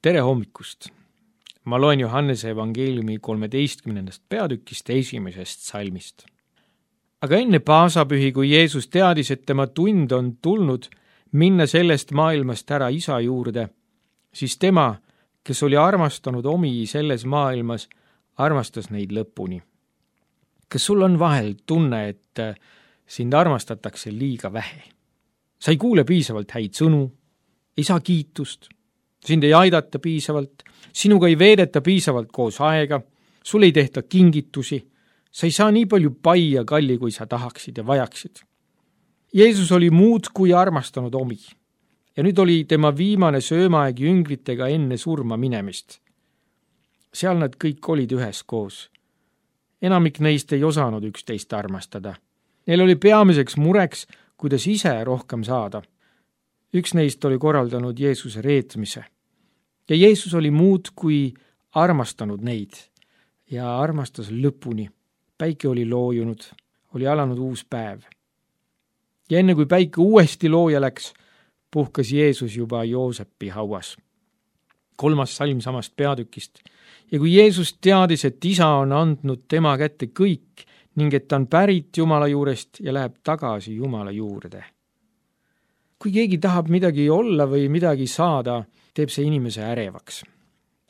Tere hommikust! Ma loen Johannese evangeeliumi 13. peatükist 1. salmist. Aga enne paasapühi, kui Jeesus teadis, et tema tund on tulnud minna sellest maailmast ära isa juurde, siis tema, kes oli armastanud omi selles maailmas, armastas neid lõpuni. Kas sul on vahel tunne, et sind armastatakse liiga vähe? Sa ei kuule piisavalt häid sõnu, ei saa kiitust, sind ei aidata piisavalt, sinuga ei veedeta piisavalt koos aega, sul ei tehta kingitusi, sa ei saa nii palju pai ja kalli, kui sa tahaksid ja vajaksid. Jeesus oli muud kui armastanud omi ja nüüd oli tema viimane söömaaeg jüngritega enne surma minemist. Seal nad kõik olid üheskoos. Enamik neist ei osanud üksteist armastada. Neil oli peamiseks mureks, kuidas ise rohkem saada. Üks neist oli korraldanud Jeesuse reetmise. Ja Jeesus oli muud kui armastanud neid ja armastas lõpuni. Päike oli loojunud, oli alanud uus päev. Ja enne kui päike uuesti looja läks, puhkas Jeesus juba Joosepi hauas. 3. salm samast peatükist. Ja kui Jeesus teadis, et isa on andnud tema kätte kõik ning et ta on pärit Jumala juurest ja läheb tagasi Jumala juurde. Kui keegi tahab midagi olla või midagi saada, teeb see inimese ärevaks.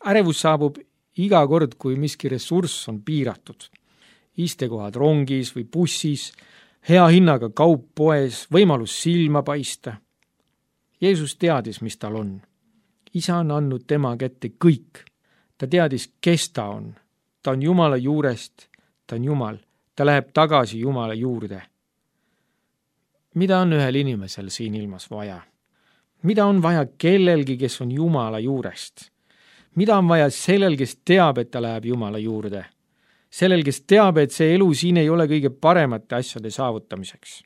Ärevus saabub iga kord, kui miski ressurss on piiratud. Istekohad rongis või bussis, hea hinnaga kaup poes, võimalus silma paista. Jeesus teadis, mis tal on. Isa on andnud tema kätte kõik. Ta teadis, kes ta on. Ta on Jumala juurest, ta on Jumal. Ta läheb tagasi Jumala juurde. Mida on ühel inimesel siin ilmas vaja? Mida on vaja kellelgi, kes on Jumala juurest? Mida on vaja sellel, kes teab, et ta läheb Jumala juurde? Sellel, kes teab, et see elu siin ei ole kõige paremate asjade saavutamiseks.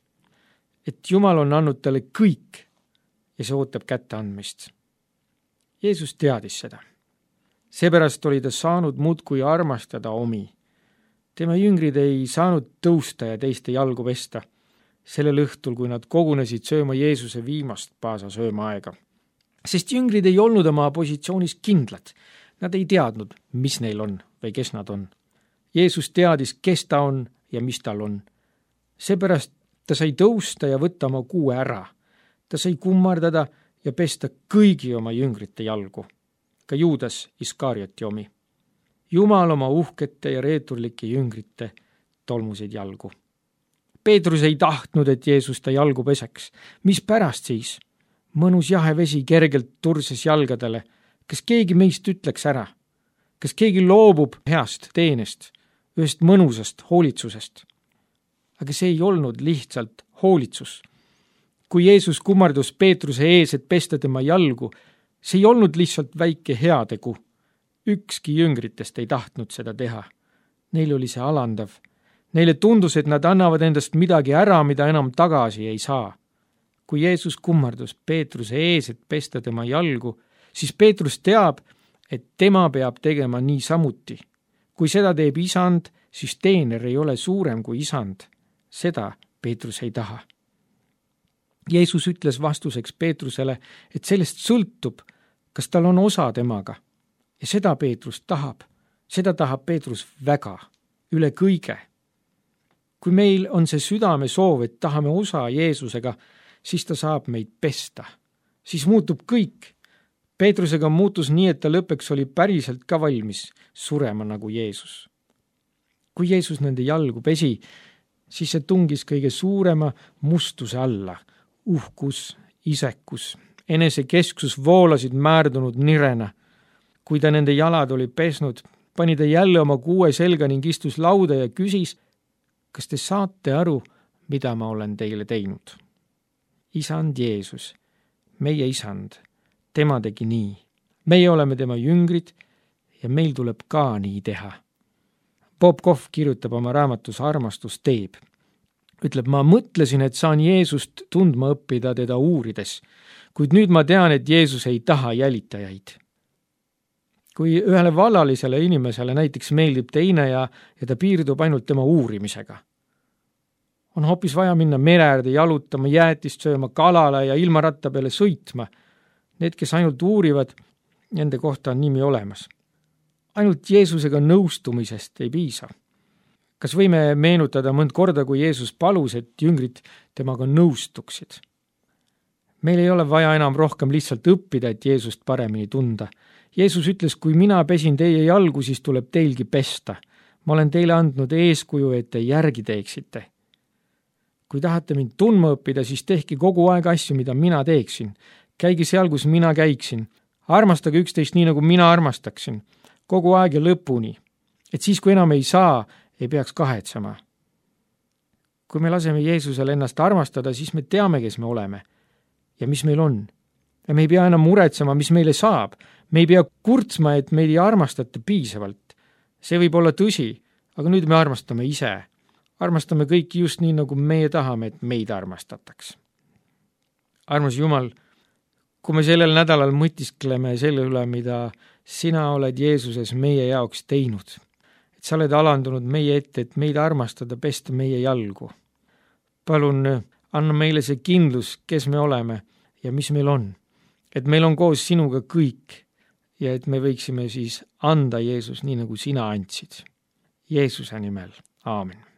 Et Jumal on andnud talle kõik ja see ootab kätte andmist. Jeesus teadis seda. Seepärast oli ta saanud muudkui armastada omi. Tema jüngrid ei saanud tõusta ja teiste jalgu pesta. Sellel õhtul, kui nad kogunesid sööma Jeesuse viimast paasa söömaaega. Sest jüngrid ei olnud oma positsioonis kindlad. Nad ei teadnud, mis neil on või kes nad on. Jeesus teadis, kes ta on ja mis tal on. Seepärast ta sai tõusta ja võtta oma kuue ära. Ta sai kummardada ja pesta kõigi oma jüngrite jalgu. Ka Juudas Iskarioti omi. Jumal oma uhkete ja reeturlike jüngrite tolmusid jalgu. Peetrus ei tahtnud, et Jeesus ta jalgu peseks. Mis pärast siis? Mõnus jahe vesi kergelt turses jalgadele. Kas keegi meist ütleks ära? Kas keegi loobub heast teenest, ühest mõnusast hoolitsusest? Aga see ei olnud lihtsalt hoolitsus. Kui Jeesus kummardus Peetruse ees, et pesta tema jalgu, see ei olnud lihtsalt väike heategu. Ükski jüngritest ei tahtnud seda teha. Neil oli see alandav. Neile tundus, et nad annavad endast midagi ära, mida enam tagasi ei saa. Kui Jeesus kummardus Peetruse ees, et pesta tema jalgu, siis Peetrus teab, et tema peab tegema nii samuti. Kui seda teeb isand, siis teener ei ole suurem kui isand. Seda Peetrus ei taha. Jeesus ütles vastuseks Peetrusele, et sellest sõltub, kas tal on osa temaga. Ja seda Peetrus tahab. Seda tahab Peetrus väga, üle kõige. Kui meil on see südame soov, et tahame osa Jeesusega, siis ta saab meid pesta. Siis muutub kõik. Peetrusega muutus nii, et ta lõpeks oli päriselt ka valmis surema nagu Jeesus. Kui Jeesus nende jalgu pesi, siis see tungis kõige suurema mustuse alla. Uhkus, isekus, enesekesksus voolasid määrdunud nirena. Kui ta nende jalad oli pesnud, pani ta jälle oma kuue selga ning istus lauda ja küsis, kas te saate aru, mida ma olen teile teinud? Isand Jeesus, meie isand, tema tegi nii. Meie oleme tema jüngrid ja meil tuleb ka nii teha. Bob Goff kirjutab oma raamatus Armastus teeb. Ütleb, ma mõtlesin, et saan Jeesust tundma õppida teda uurides, kuid nüüd ma tean, et Jeesus ei taha jälitajaid. Kui ühele vallalisele inimesele näiteks meeldib teine ja ta piirdub ainult tema uurimisega. On hoopis vaja minna mereäärde jalutama, jäätist sööma, kalale ja ilmaratta peale sõitma. Need, kes ainult uurivad, nende kohta on nimi olemas. Ainult Jeesusega nõustumisest ei piisa. Kas võime meenutada mõnd korda, kui Jeesus palus, et jüngrid temaga nõustuksid? Meil ei ole vaja enam rohkem lihtsalt õppida, et Jeesust paremini tunda. Jeesus ütles, kui mina pesin teie jalgu, siis tuleb teilgi pesta. Ma olen teile andnud eeskuju, et te järgi teeksite. Kui tahate mind tundma õppida, siis tehke kogu aeg asju, mida mina teeksin. Käige seal, kus mina käiksin. Armastage üksteist nii, nagu mina armastaksin. Kogu aeg ja lõpuni. Et siis, kui enam ei saa, ei peaks kahetsema. Kui me laseme Jeesusel ennast armastada, siis me teame, kes me oleme ja mis meil on. Ja me ei pea enam muretsema, mis meile saab. Me ei pea kurtsma, et meid ei armastata piisavalt. See võib olla tõsi, aga nüüd me armastame ise. Armastame kõiki just nii, nagu meie tahame, et meid armastataks. Armas Jumal, kui me sellel nädalal mõtiskleme selle üle, mida sina oled Jeesuses meie jaoks teinud, et sa oled alandunud meie ette, et meid armastada, pesta meie jalgu. Palun, anna meile see kindlus, kes me oleme ja mis meil on. Et meil on koos sinuga kõik ja et me võiksime siis anda Jeesus nii, nagu sina andsid. Jeesuse nimel. Aamen.